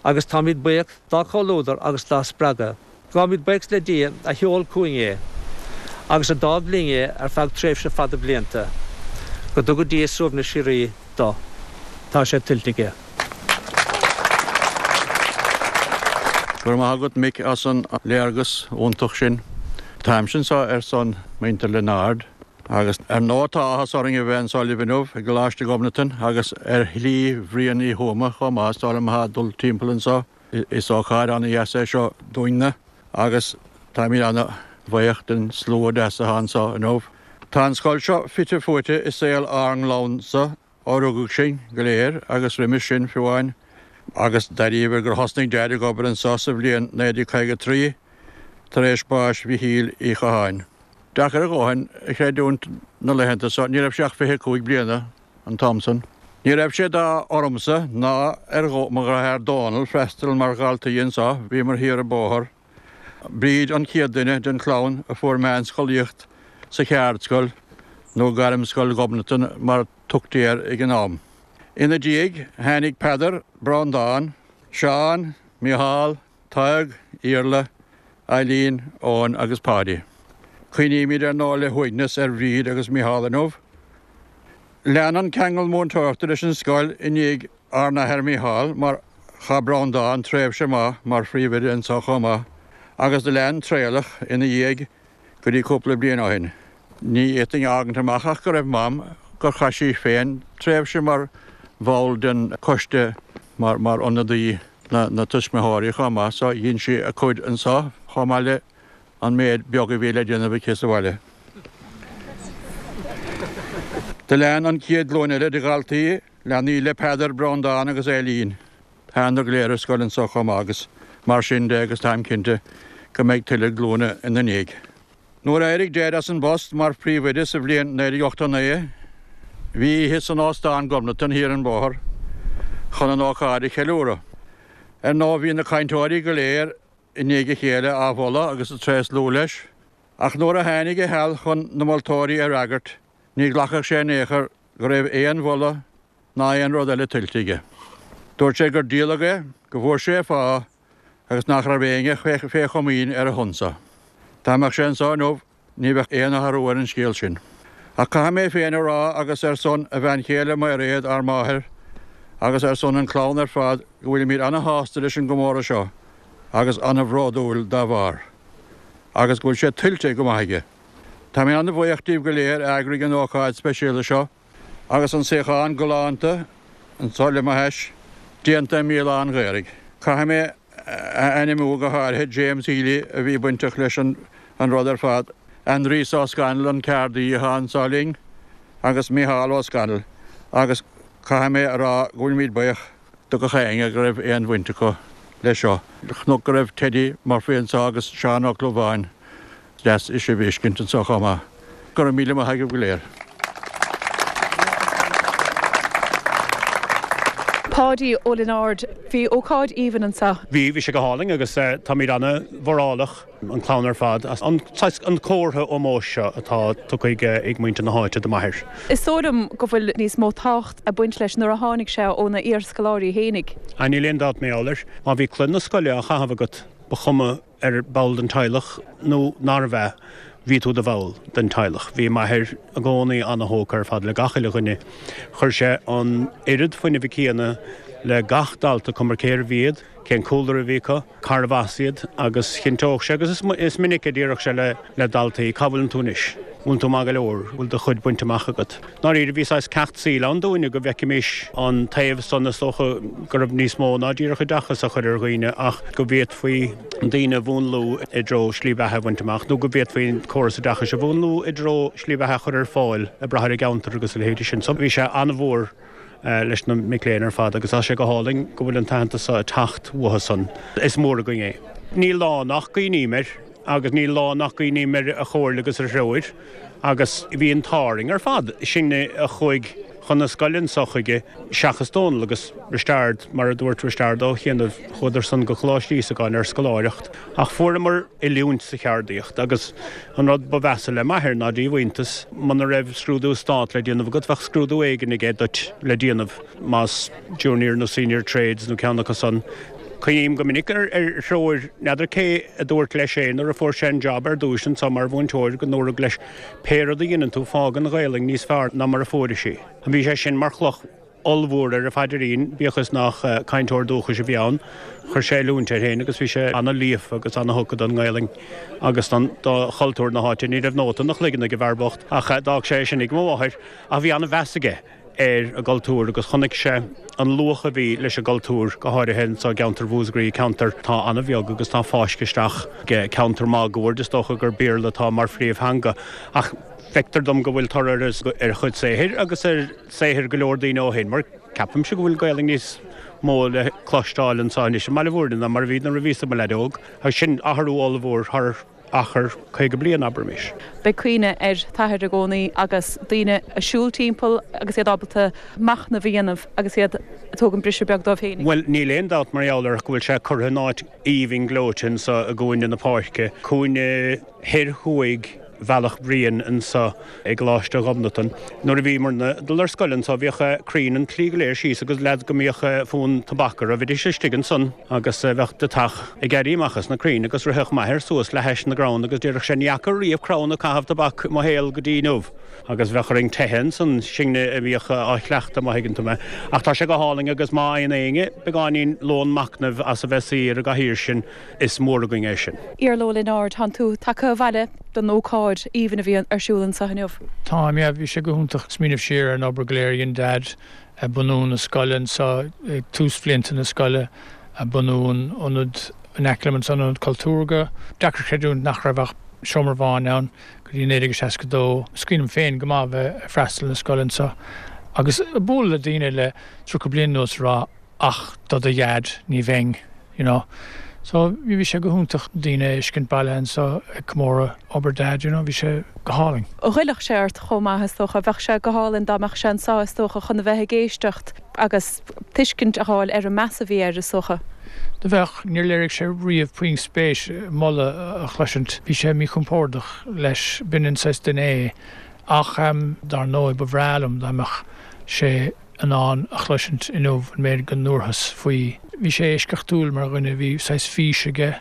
agus táimid buíoch dá chomhluadar agus dá spreagadh. Gabhaimid buíochas le Dia a sheol chugainn é agus a d'fhág linn é ar feadh tréimhse fada blianta. Go dtuga Dia suaimhneas síoraí dó. Tá sé tuillte aige. Go raibh maith agat Mick as an léargas iontach sin. Táimse anseo ar son muintir Lionáird agus ar ndóigh tá áthas orainn a bheith anseo libh inniu i gColáiste Ghobnatan agus ar Shlí Bhriain Uí Thuama chomh maith is dóigh liom atá ag dul timpeall anseo. Is ócáid an-dheas é seo dúinne agus táimid an-bhuíoch den slua deas atá anseo inniu. Tá an scoil seo fite fuaite i saol ár gclannsa ó rugadh sinn go léir agus roimis sin fiú amháin agus dáiríre gur thosnaigh Deaid ag obair anseo sa bhliain 1953 tar éis báis Mhichíl Uí Chatháin. Deacair a dhóthain a chreidiúint na laethanta seo, ní raibh sé ach 25 bliana an t-am san. Ní raibh sé d'ádh ormsa ná ar mo dheartháir Dónal freastal mar dhaltaí anso, bhíomar thiar an bóthar. Bríd an chéad duine den chlann a fuair meánscolaíocht sa cheardscoil, nó Gairmscoil Ghobnatan mar tugtaí air ag an am. Ina diaidh tháinig Peadar, Breandán, Seán, Micheál, Tadhg, Iarla, Eileen, Eoin agus Páidí. Cuimhnímid ar ndóigh le huaigneas ar Bhríd agus Micheál inniu. Lean an ceangal múinteoireachta leis an scoil i ndiaidh ár n-athair Micheál mar chaith Breandán tréimhse maith mar phríomhoide anseo chomh maith agus do lean Traolach ina dhiaidh go dtí cúpla bliain ó shin. Ní fhéadfainn a fhágaint amach ach go raibh Mam, gur chaith sí féin tréimhse mar bhall den choiste mar mar ionadaí na na tuismitheoirí chomh maith so dhein sí a cuid anseo chomh maith le an méid beag a bhí le déanamh aici sa bhaile. Do lean an chéad ghlúin eile de dhaltaí, leanaí le Peadar, Breandán agus Eileen. Thánadar go léir ar scoil anso chomh maith agus mar sin de agus táim cinnte go mbeidh tuilleadh glúine ina ndiaidh. Nuair a d'éirigh Deaid as an bpost mar phríomhoide sa bhliain 1989. Bhí oíche san Óstán Ghobnatan thiar an bóthar chun an ócáid a cheiliúradh. Ar ndóigh bhí na cainteoirí go léir i ndiaidh a chéile á mholadh agus ag tréaslú leis, ach nuair a tháinig a sheal chun na moltóirí a fhreagairt, ní ghlacfadh sé in aon chor go raibh aon mholadh ná aon rud eile tuillte aige. Dúirt sé gur díoladh é, go bhfuair sé a phá agus nach raibh éinne fé chomaoin ar a shon-sa. Dá mbeadh sé anso inniu ní bheadh aon athrú ar an scéal sin. Ach caithfidh mé féin a rá agus ar son a bhean chéile Mairéad, ár máthair, agus ar son an clann ar fad go bhfuilimid ana-shásta leis an gcomóradh seo agus ana-bhródúil dá bharr. Agus go bhfuil sé tuillte go maith aige. Tá mé ana-bhuíoch díobh go léir a eagraigh an ócáid speisialta seo agus an suíochán galánta anso le mo hais, déanta i mBéal Átha an Ghaorthaidh. Caithfidh mé a ainmniú go háirithe James Healy a bhí bainteach leis an rud ar fad, Aindrias Ó Scanaill an ceardaí atá anso linn agus Micheál Ó Scanaill agus caithfidh mé a rá go bhfuilimid buíoch do gach éinne go raibh aon bhaint acu leis seo. Chonac go raibh Teddy Murphy anso agus Seán Ó Clúmháin. Deas sibh a fheiscint anso chomh maith. Go raibh míle maith agaibh go léir. Páidí Ó Lionáird, Bhí ócáid aoibhinn anseo. Bhí, bhí sé go hálainn agus táimid ana-mhórálach, an clann ar fad, as an saghas, an comhartha ómóis seo atá tugtha ag muintir na háite do m'athair. Is dóigh liom go bhfuil níos mó tábhacht ag baint leis nuair a tháinig sé óna iarscoláirí fhéinig. Ah, níl aon dabht mar gheall air. Má bhí culaith na scoile á chaitheamh agat, ba chuma ar ball den teaghlach nó nárbh ea, bhí tú i do bhall den teaghlach. Bhí m'athair i gcónaí ana-thógtha ar fad le gach uile dhuine. Chuir sé an oiread fuinnimh céanna le gach dalta, cuma cérbh iad, cén cúlra a bhí acu, cárbh as iad agus chinnteodh sé, agus is minic a déarfadh sé le daltaí, cá bhfuileann tú anois? Bhfuil tú maith go leor? Bhfuil do chuid bainte amach agat? Ndáiríre, bhí saghas ceacht saoil ann dúinne go bhfeicfimis an taobh san, is dócha go raibh níos mó ná díreach oideachas a chur ar dhaoine ach go bhféadfaí daoine a mhúnlú i dtreo slí bheatha a bhaint amach nó go bhféadfaí an córas oideachais a mhúnlú i dtreo slí bheatha a chur ar fáil ag brath ar an gceantar agus a leithéidí sin. So bhí sé an-mhór leis na mic léinn ar fad agus tá sé go hálainn go bhfuil an t-aitheantas seo ag teacht uathu san. Is mór againn é. Níl lá nach gcuimhním air agus níl lá nach gcuimhním ar a chomhairle agus ar a threoir agus bhí an t-ádh orainn ar fad, sinne a chuaigh chun na scoile anso chuige seachas Dónal agus Risteard, mar a dúirt Risteard Ó chianaibh, chuadar san go Coláiste Íosagáin ar scoláireacht ach fuaireamar oiliúint sa cheardaíocht agus an rud ba mheasa le m'athair ná díomhaointeas, muna raibh scrúdú stát le déanamh agat bheadh scrúdú éigin aige duit le déanamh, más Junior nó Senior Trades nó ceann acu san. Cuimhním go minic ar threoir, n'fheadar cé a dúirt leis é nuair a fuair sé an job ar dtúis anso mar mhúinteoir go ndúradh leis pé rud a dheineann tú fág an Ghaelainn níos fearr ná mar a fuairis í. Bhí sé sin mar chloch ollmhór ar a phaidrín, bíodh is nach cainteoir dúchais a bhí ann. Chuir sé oiliúint air féin agus bhí sé ana-líofa agus ana-thugtha don nGaelainn agus don do chultúr na háite. Ní raibh nóta ina chloigeann ag an bhfear bocht ach d'fhág sé é sin ag mo mháthair ach bhí ana-mheas aige ar an gcultúr agus chonaic sé an luach a bhí leis an gcultúr, go háirithe anso i gceantar Mhúscraí, ceantar atá an-bheag agus atá fáiscthe isteach i gceantar máguaird, is dócha gur Béarla atá mar phríomhtheanga. Ach feictear dom go bhfuil toradh ar a chuid saothair agus ar saothar go leor daoine ó shin, mar ceapaimse go bhfuil Gaelainn níos mó le cloisteáil anso anois i mBaile Bhúirne ná mar a bhí nuair a bhíos i mo leaid óg, agus sin athrú ollmhór thar achar 50 bliain, abraimis. Beidh cuimhne ar t'athair i gcónaí agus daoine ag siúl timpeall agus iad ábalta machnamh a dhéanamh agus iad ag tógaint briseadh beag dóibh féinig. Bhuel, níl aon dabht mar gheall air go bhfuil sé curtha in áit aoibhinn gleoite anso i gcúinne na páirce, cúinne thoir thuaidh Bhealach Bhriain anso i gColáiste Ghobnatan. Nuair a bhíomarna ag dul ar scoil anso bhíodh crainn an tslí go léir síos agus leaids go mbíodh fonn tobac orthu, bhídís istigh ansan agus bheadh deatach ag éirí amach as na crainn agus ritheadh m'athair suas le hais na gcrann agus déarfadh sé ní fhaca riamh crann ag caitheamh tobac i mo shaol go dtí inniu agus bheadh orainn teitheadh ansan, sinne a bhíodh á chleachtadh má thuigeann tú mé. Ach tá sé go hálainn agus má fhaigheann éinne beagáinín lón machnaimh as a bheith suí ar an gcathaoir sin, Is mór againn é sin. Iarla Ó Lionáird, Tánn tú tagtha abhaile don ócáid aoibhinn a bhí ar siúl anseo inniu. Táim, yeah. Bhí sé go hiontach smaoineamh siar ar an obair go léir a dhein Dad ag bunú na scoile anseo ag tús bhlianta na scoile, ag bunú an ionad in aice liom ansan, Ionad Cultúrtha. Deacair creidiúint nach raibh ach seomra amháin ann go dtí 1962. Is cuimhin liom féin go maith a bheith ag freastal na scoile anseo agus ag bualadh le daoine le 30 bliain anuas ag rá, ach do do dhaid ní bheinn, you know. So bhí sé go hiontach daoine a fheiscint bailithe anseo ag comóradh obair Dad, you know, bhí sé go hálainn. Ghoillfeadh sé ort chomh maith is dócha. Bheadh sé go hálainn dá mbeadh sé anseo is dócha chun a bheith ag éisteacht agus tuiscint a fháil ar an meas a bhí air is dócha. Do bheadh. Níor léirigh sé riamh puinn spéis moladh a chloisint. Bhí sé míchompordach leis. B'in an saghas duine é. Ach dar ndóigh ba bhreá liom dá mbeadh sé in ann a chloisint inniu an méid go ndúrthas faoi. Bhí sé eisceachtúil mar dhuine, bhí saghas fís aige,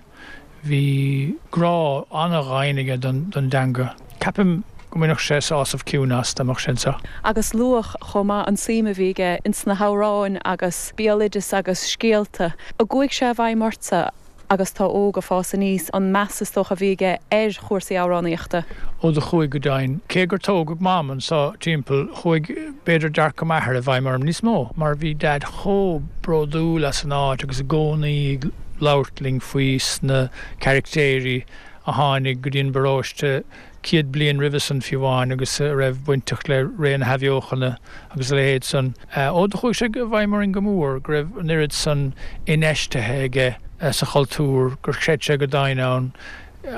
bhí grá an-dhoimhin aige don dteanga. Ceapaim go mbainfeadh sé sásamh ciúin as dá mbeadh sé anseo. Agus luadh chomh maith an suim a bhí aige ins na hamhráin agus béaloideas agus scéalta. An gcuaigh sé i bhfeidhm ortsa? agus tú óg ag fás aníos, an meas is dócha a bhí aige ar chúrsaí amhránaíochta. Ó do chuaigh go deimhin. Cé gur tógadh Mam anso timpeall, chuaigh b'fhéidir dearcadh m'athar i bhfeidhm orm níos mó, mar bhí Daid chomh bródúil as an áit agus i gcónaí ag labhairt linn faoi sna caractéirí a tháinig go dtí an bparóiste 100 bliain roimhe san fiú amháin agus a raibh bainteach le ré na hAthbheochana agus a leithéid san. Ó do chuaigh sé i bhfeidhm orainn go mór go raibh an oiread san infheistithe aige sa chultúr, gur chreid sé go domhain ann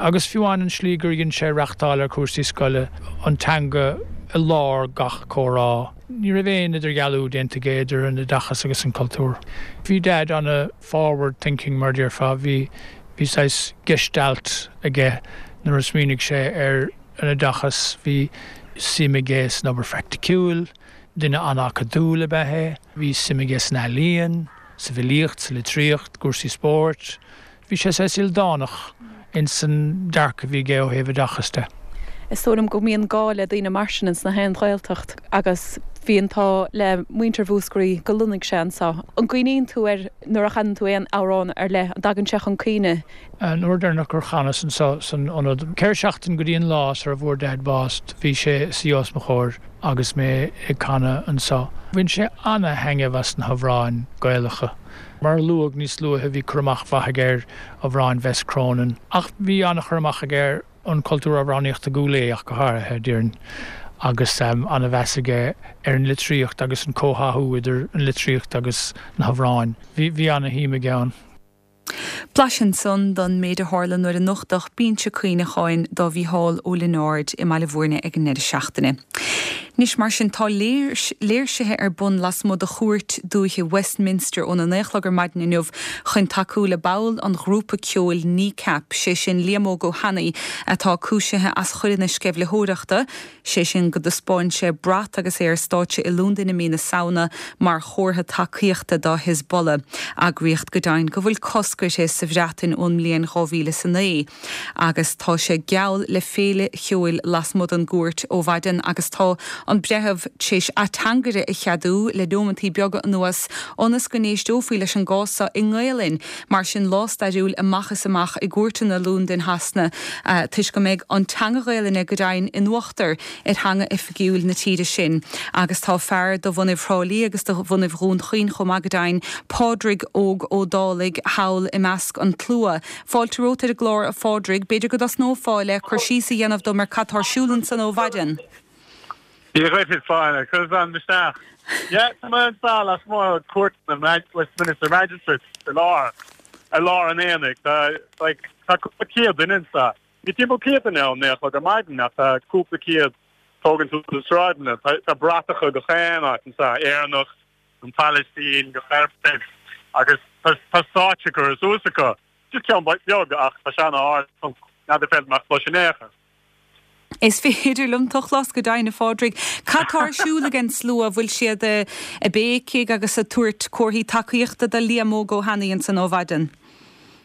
agus fiú amháin an slí gur dhein sé reachtáil ar chúrsaí scoile, an teanga i lár gach comhrá. Ní raibh aon idirdhealú déanta aige idir an oideachas agus an cultúr. Bhí Daid ana forward thinking mar a déarfá, bhí Bhí saghas gestalt aige nuair a smaoinigh sé ar an oideachas. Bhí suim aige san obair phraiticiúil. Duine an-acadúil ab ea é. Bhí suim aige san ealaíon, sa bhfilíocht, sa litríocht, cúrsaí spóirt. Bhí sé saghas ildánach ins an dearcadh a bhí aige ó thaobh oideachais de. Is dóigh liom go mbíonn gá le daoine mar sin ins na haon Ghaeltacht agus bhí an t-ádh le muintir Mhúscraí gur lonnaigh sé anso. An gcuimhníonn tú air nuair a chanann tú aon amhrán ar leith, an dtagann sé chun cuimhne? An uair deireanach gur chanas anso san ionad, 4 seachtain go dtí an lá sar a bhfuair Daid bás, bhí sé ag suí os mo chomhair agus mé ag canadh anso. Bhain sé ana-thaitneamh as na hamhráin Gaelacha. Mar a luadh níos luaithe bhí cur amach mhaith aige ar amhráin Bhess Cronin, ach bhí ana-chur amach aige ar an cultúr amhránaíochta Gcúil Aodha ach go háirithe, déarfainn, agus ana-mheas aige ar an litríocht agus an comhtháthú idir an litríocht agus na hamhráin. Bhí ana-shuim aige ann. Blaiseadh ansan don méid a tharla nuair a nochtadh binse cuimhneacháin do Mhícheál Ó Lionáird i mBaile Bhúirne ag an ndeireadh seachtaine. Anois mar sin tá léirsithe ar bun lasmuigh de chúirt dúiche Westminster óna 9 a chlog ar maidin inniu chun tacú le ball an ghrúpa ceoil Kneecap, sé sin Liam Óg Ó hAnnaidh, atá cúisithe as choireanna sceimhlitheoireachta, sé sin go dtaispeáin sé brat agus é ar stáitse i Londain i mí na Samhna mar chomhartha tacaíochta do Hezbollah, eagraíocht go deimhin go bhfuil cosc uirthi sa Bhreatain ón mbliain 2009. Agus tá sé geall le féile cheoil lasmuigh den gcúirt ó mhaidin agus tá an breitheamh tar éis ateangaire a cheadú le nóimeantaí beaga anuas ionas go n-éisteofaí leis an gcás seo i nGaelainn. Mar sin, lá stairiúil amach is amach i gcúirteanna Londain Shasana toisc go mbeidh an teanga Ghaelainne go deimhin in uachtar ar theanga oifigiúil na tíre sin. Agus tá fear de bhunaibh Thrá Lí agus de bhunaibh Dhún Chaoin chomh maith go deimhin, Pádraig Óg Ó Dálaigh, thall i measc an tslua. Fáilte romhat ar an gclár, a Phádraig. B'fhéidir go dtosnófá le cur síos a dhéanamh dom ar cad tá ar siúl ansan ó mhaidin. Dia dhuit, a Fáinne. Cuir an isteach. Yeah, tá mé anseo lasmuigh cúirteanna Westminster Magistrates i lár i lár an aonaigh. Tá like tá cúpla céad duine anseo. Bhí timpeall 100 duine ann 9 a chlog ar maidin ach tá cúpla céad tógaint suas na sráideanna. Tá tá bratacha gach aon áit anseo, Éireannach, an Phalaistín, gach ar fad agus tá tá stáitse curtha suas acu. Just ceann beag ach tá sé an-ard. N'fheadar an féidir leat mé a chlos in aon chor. Is féidir liom tú a chlos go deimhin, a Phádraig. Cad tá ar siúl ag an slua? Bhfuil siad ag béicigh agus ag tabhairt comharthaí tacaíochta do Liam Óg Ó hAnnaidh ansan ó mhaidin?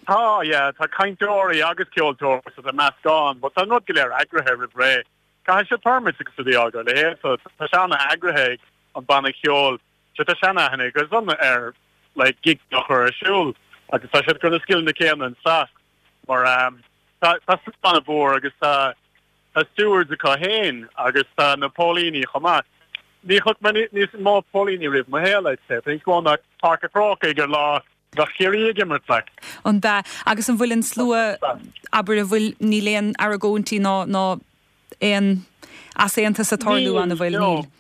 Tá, yeah. Tá cainteoirí agus ceoltóirí so tá meascán, but tá an rud go léir eagraithe roimh ré. Caithfidh siad permits agus rudaí a fháil a leithéid so tá sé an-eagraithe ag an banna ceoil. So tá seanaithne acu ar like gig a chur ar siúl agus tá siad ag cur na scileanna céanna anseo mar tá tá slua an-mhór agus tá tá stewards acu féin agus tá na póilíní chomh maith. Ní chonaic mé níos mó póilíní riamh i mo shaol, I'd say. Tá níos mó ná Páirc an Chrócaigh ar lá bheadh Ciarraí ag imirt, like. An ea? Agus an bhfuil an slua, abair, an bhfuil, níl aon argóintí ná, ná aon easaontas ag tarlú ann, an bhfuil? Níl, no. Níl.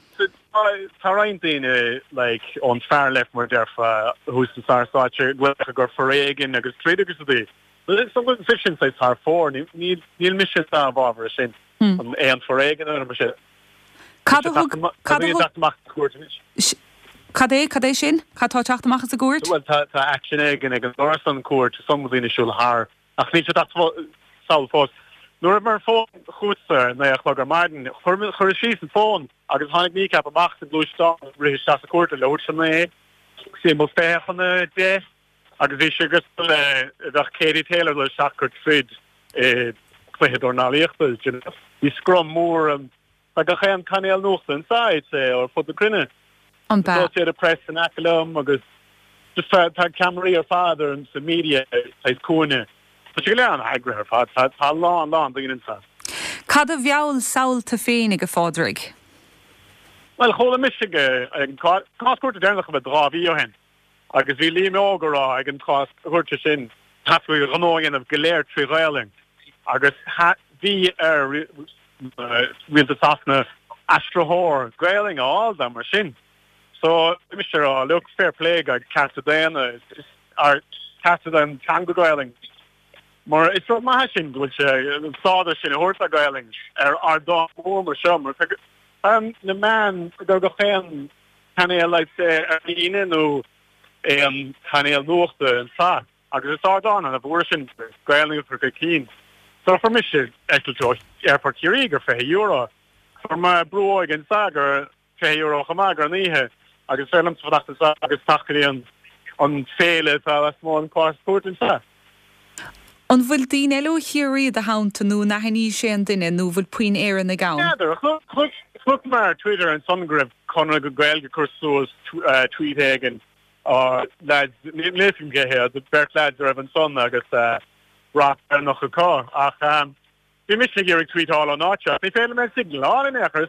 tá roinnt daoine like ón far left mar a déarfá thuas sa stáitse ag rá gur foréigean agus troid agus rudaí. So bhí sin saghas thar fóir. Níl níl mise i bhfabhar sin. An aon foréigean ar mise. Cad a thug cad a thug amach sa chúirt anois? Cad é cad é sin? Cad tá ag teacht amach as an gcúirt? Bhuel tá tá action éigin ag an doras an cúirt some daoine ag siúl thar ach níl sé ag teacht sall fós. Nuair a bhí mé ar an bhfón chugatsa ar 9 a chlog ar maidin, chuir chuireas síos an fón agus tháinig Kneecap amach sa gluaisteán rith isteach sa chúirt le leathuair tar éis a 9, timpeall 20 chun a 10 agus bhí sé cosúil le bheadh Katie Taylor ag dul isteach ag troid i gcluiche dornálaíochta, do you know. Bhí scrum mór ann. Tá gach aon cainéal nuachta anseo, I'd say, ar fud na cruinne. An bea? Associated Press in aice liom agus just tá tá ceamaraí ar fad ar an sa media saghas cúinne. Tá sé go léir an-eagraithe ar fad. Tá tá a lán lán daoine anseo. Cad a mheall samhail tú féinig, a Phádraig? Bhuel, chuala mise ag an cás cúirte deireanach a bheith 2 mhí ó shin. Agus bhí Liam Óg ag rá ag an chás cúirte sin caithfí a ghnó a dhéanamh go léir trí Ghaelainn agus bhí ar rialtas Sasana aistritheoir Gaelainn a fháil dó mar sin. So bhí mise ag rá look fair play go cearta daonna ar cearta don teanga Gaelainn mar is rud maith é sin go bhfuil sé an stádas sin a thabhairt do Ghaelainn ar ardán mór mar seo mar tá na meáin ag gach aon cainéal I'd say ar líne nó aon chainéal nuachta anseo agus is ardán ana-mhór é sin Gaelainn a chur chun cinn. So fuair mise eitilt ó Aerfort Chiarraí gur €20. Fuair mé brú óige anseo gur €20 chomh maith gur an oíche agus is féidir liomsa fanacht anseo agus teacht go dtí an an féile atá lasmuigh an cás cúirte anseo. An bhfuil daoine eile ó Chiarraí i do theannta nó an aithníos aon duine nó an bhfuil puinn Éireannaigh ann? N'fheadar. Chonaic mé ar Twitter ansan go raibh Conradh na Gaeilge ag cur suas tweet éigin ó leaids, níl a fhios agam cé hiad, beirt leaids a raibh ansan agus brat Éireannach acu ach Bhí mise ag iarraidh tweetáil ón áit seo ach ní féidir liom aon signal a fháil in aon chor.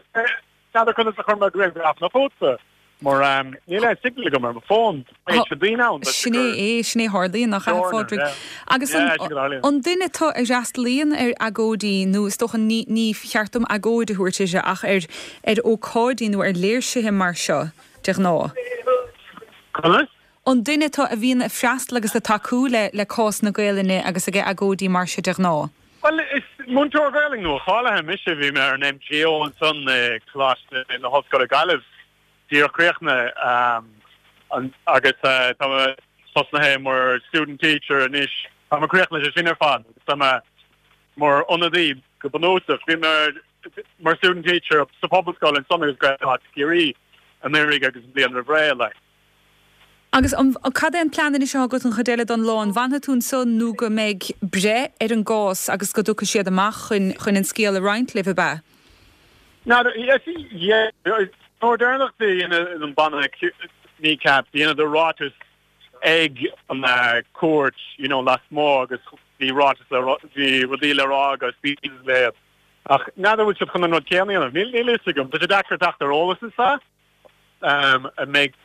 N'fheadar conas a chuir mé grianghraf chugatsa mar níl aon signal agam ar mo fón. Tá daoine ann. Sin é é, sin é a tharlaíonn, nach ea, a Phádraig? Agus an duine tú a fhreastalaíonn ar agóidí, nó is dócha ní ní cheart dom agóid a thabhairt uirthi ach ar ar ócáidí nó ar léirsithe mar seo de ghnáth? Conas? An duine tú a bhíonn ag freastal agus ag tacú le le cás na Gaelainne agus ag agóidí mar seo de ghnáth? Bhuel, is múinteoir Gaelainne nua-cháilithe mise. Bhí mé ar an MGO ansan i Coláiste na hOllscoile Gaillimh, díreach críochnaithe, agus tá mé tosnaithe mar student teacher anois. Tá mé críochnaithe leis sin ar fad agus tá mé mar ionadaí go bunúsach. Bhí mé mar student teacher sa Phobalscoil ansan agus Gaelcholáiste Chiarraí anuraidh agus an bhliain roimh ré, like. Agus an, cad é an plean anois atá agat an chuid eile don lá? An bhfanfaidh tú anso nó go mbeidh breith ar an gcás agus go dtiocfaidh siad amach chun, chun an scéal a roinnt libh, ab ea? N'fheadar, yeah, nuair deireanach dhein an banna Kneecap, dheineadar ráiteas ag an cúirt, you know, lasmuigh agus bhí ráiteas le, bhí rudaí le rá agus speeches le, ach n'fheadar bhfuil siad chun an rud céanna a dhéanamh, níl, níl a fhios agam, tá sé deacair teacht ar eolas anseo. An mbeidh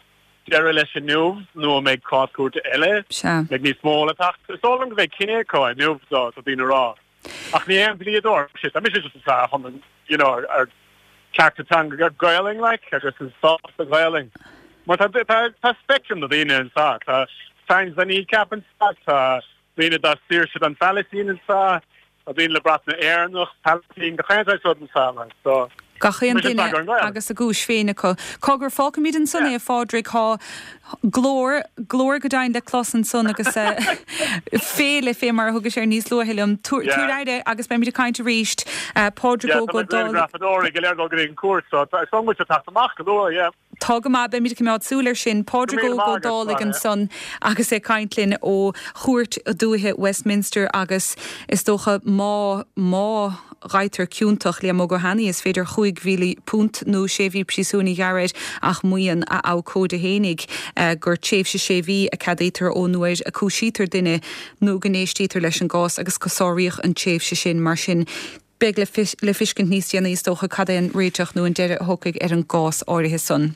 deireadh leis inniu nó an mbeidh cás cúirte eile? Sea. Mbeidh níos mó le teacht? Is dóigh liom go mbeidh cinneadh acu inniu, tá daoine ag rá. Ach ní aon dlíodóir mise. Tá mise just anseo chun an, you know, ar cearta teanga Gaelainn, like, agus an stádas do Ghaelainn. Mar tá, tá, tá spectrum na daoine anseo. Tá fans de Kneecap anseo, tá daoine do saoirse don Phalaistín anseo, Tá daoine le brat na Éireannach, Palaistín, gach aon saghas rud anseo like so. Gach aon duine agus a gcúis féin acu. Cogar, fágfaimid ansan é, a Phádraig, tá glór, glór go deimhin le clos ansan agus féile fé mar a thugais air níos luaithe liom. Tabhair aire agus beimid ag caint arís. Pádraig Óg Ó Dálaigh. Yeah, tá na grianghrafadóirí go léir ag dul go dtí an cúirt so tá muid ag teacht amach go luath, yeah. Tá go maith, beimid ag coimeád súil air sin. Pádraig Óg Ó Dálaigh ansan agus é ag caint linn ó Chúirt Dúiche Westminster agus is dócha má, má ghaibhtear ciontach Liam Óg Ó hAnnaidh is féidir £5,000 nó sé mhí príosúin a ghearradh air ach maíonn a abhcóide fhéinig gur tréimhse sé mhí a ceadaítear ón uair a cúisítear duine nó go n-éistítear leis an gcás agus go sáraíodh an tréimhse sin mar sin Beidh le fiscint níos déanaí is dócha cad é an réiteach nó an deireadh a thiocfaidh ar an gcás áirithe san.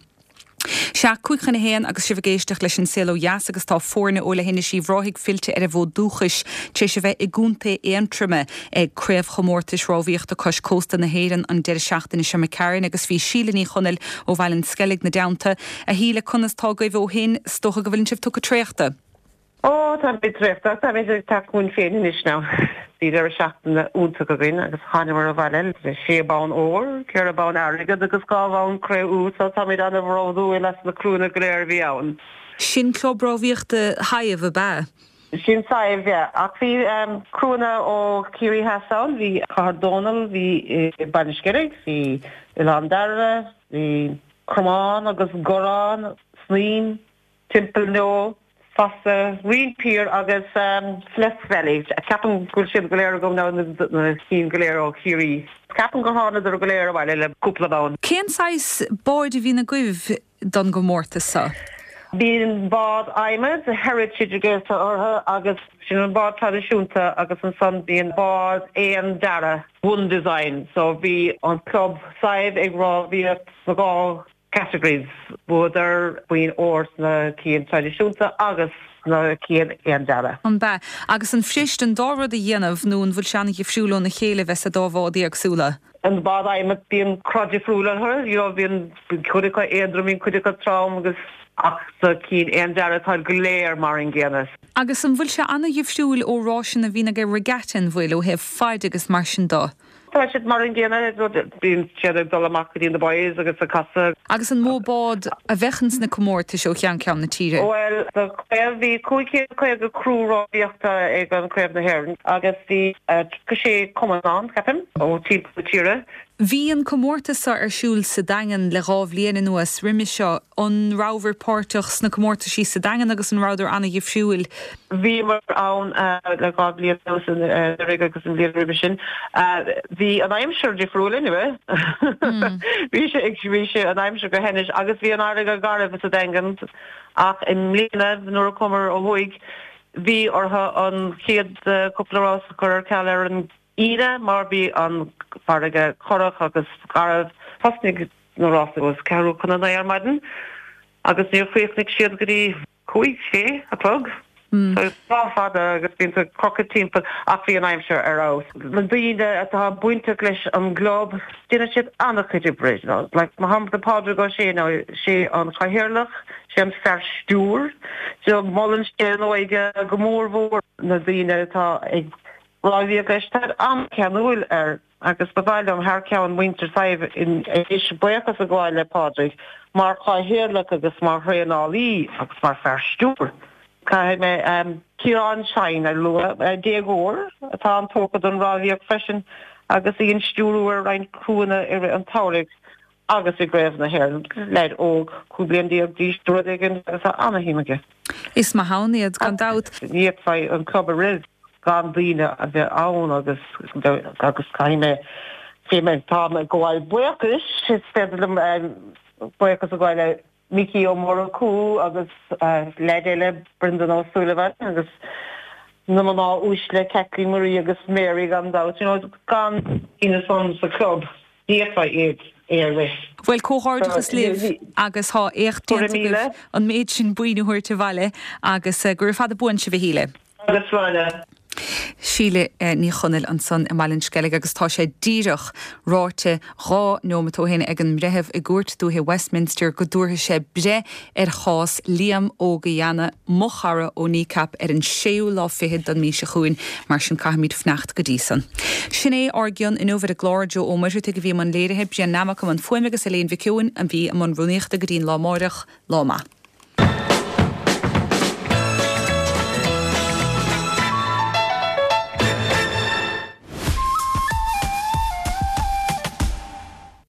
Sea, 12:55 agus sibh ag éisteacht leis An Saol Ó Dheas agus tá foirne ó Leithinis Uíbh Ráthaigh fillte ar an bhfód dúchais tar éis a bheith i gContae Aontroma ag Craobhchomórtais Rámhaíochta Cois Cósta na hÉireann an deireadh seachtaine seo imigh tharainn agus bhí Síle Ní Chonaill ó Bhaile an Sceilg 'na dteannta. A Shíle, conas tá agaibh ó shin? 'S dócha go bhfuileann sibh tugtha traochta? Ó, táimid traochta ach táimid ag teacht chugainn féin anois now. Bhí deireadh seachtaine iontach againn agus thánamar abhaile le sé bonn óir, ceithre bonn airgead agus dhá bhonn cré-umha so táimid ana-bhródúil as na criúnna go léir a bhí ann. Sin club rámhaíochta Shadhbh, ab ea? Sin Sadhbh, yeah. Ach bhí criúnna ó Chiarraí Theas ann, bhí Cathair Dónall, bhí Baile an Sceilg, bhí Oileán Dairbhre, bhí Cromán agus Gurán, Snuim. Timpeall Neo, fosta, Rinn Piar agus Flesk Valley. Ceapaim go bhfuil siad go léir agam now, na cinn go léir ó Chiarraí. Ceapaim gur thánadar go léir abhaile le cúpla bonn. Cén saghas báid a bhíonn agaibh don gcomórtas seo? Bíonn bád adhmaid, Heritage a ghlaotar orthu, agus sin an bád traidisiúnta agus ansan bíonn bád aon dearadh, one design. So bhí an club Sadhbh ag rámhaíocht sna dhá Categories, Bhuadar boinn óir sna cinn traidisiúnta agus sna cinn aon dearadh. An ea? Agus an fuirist an dá rud a dhéanamh nó an bhfuil sé an-dhifriúil óna chéile bheith sa dá bhád éagsúla? An bád adhmaid bíonn cruth difriúil orthu, you know bíonn cuid acu éadrom, bíonn cuid acu trom agus ach sa cinn aon dearadh táid go léir mar an gcéanna. Agus an bhfuil sé an-dhifriúil ó ráiseanna a bhíonn ag regatta an bhfuil, ó thaobh faid agus mar sin de? Tá siad mar an gcéanna, bíonn siad ag dul amach go dtí na buoys agus ag casadh. Agus an mó bád a bheadh ins na comórtais ó cheann ceann na tíre? Bhuel, sa chraobh bhí 550 criú rámhaíochta ag an Craobh na hÉireann agus bhí 36 cumann ann, ceapaim, ó timpeall na tíre. Bhí an comórtas seo ar siúl sa Daingean le dhá bhliain anuas. Roimhe seo, an rabhabhair páirteach sna comórtaisí sa Daingean agus an rabhadar an-dhifriúil? Bhíomar ann le dhá bhliain anuas, anuraidh agus an bhliain roimhe sin. Bhí an aimsir difriúil anyway. Bhí sé ag, bhí sé an aimsir go hainnis agus bhí an fharraige garbh sa Daingean ach i mbliana nuair a chuamar ó thuaidh bhí orthu an chéad cúpla rás a chur ar ceal ar an Aoine mar bhí an farraige corrach agus garbh. Thosnaigh na rásaí os ceathrú chun a naoi ar maidin agus níor chríochnaigh siad go dtí cúig, sé a chlog. So lá fada agus bíonn tú ag crochadh timpeall ach bhí an aimsir ar fheabhas. Na daoine atá bainteach leis an gclub, déanann siad an-chuid oibre. Like mar shampla Pádraig Ó Sé now, sé an cathaoirleach, sé an fear stiúir. So molann sé an óige go mór mhór na daoine atá ag Rámhaíocht leis, táid an-cheanúil air agus ba mhaith liom thar ceann muintir Sadhbh anois buíochas a ghabháil le Pádraig mar chathaoirleach agus mar thraenálaí agus mar fear stiúir. Caithfidh mé Ciarán Shine a lua, déagóir atá an-tógtha don rámhaíocht freisin agus í ag stiúrú ar roinnt criúnna i rith an tsamhraidh agus i gCraobh na hÉireann. Leaid óg, 15 bliain d'aois nó rud éigin agus tá ana-shuim aige. Is maith ann iad, gan dabht. Ní fhéadfaí an club a rith gan daoine a bheith ann agus agus caithfidh mé cé mé táim ag gabháil buíochais, is féidir liom buíochas a ghabháil le Micí Ó Murchú agus leaid eile Brendan Ó Súilleabháin agus na mná uaisle Kathleen Marie agus Mary gan dabht, you know gan daoine san sa club ní fhéadfaí iad é a rith. Bhuel, comhghairdeachas libh agus tá éacht déanta agaibh an méid sin boinn a thabhairt abhaile agus gura fada buan sibh a Shíle. Agus sláine. Síle Ní Chonaill ansan i mBaile an Sceilg agus tá sé díreach ráite dhá neomat ó shin ag an mbreitheamh i gCúirt Dúiche Westminster go dtabharfaidh sé breith ar chás Liam Óg Uí Annaidh, mo chara ó Kneecap, ar an séú lá fichead don mí seo chugainn, mar sin caithfimid fanacht go dtí san. Sin é ár gcion inniu ar an gclár. Joe Ó Muircheartaigh a bhí i mbun léirithe, Brian Nammock i mbun fuaime agus Elaine Mhic Eoin a bhí i mbun rúnaíochta go dtí'n lá amáireach. Lá maith.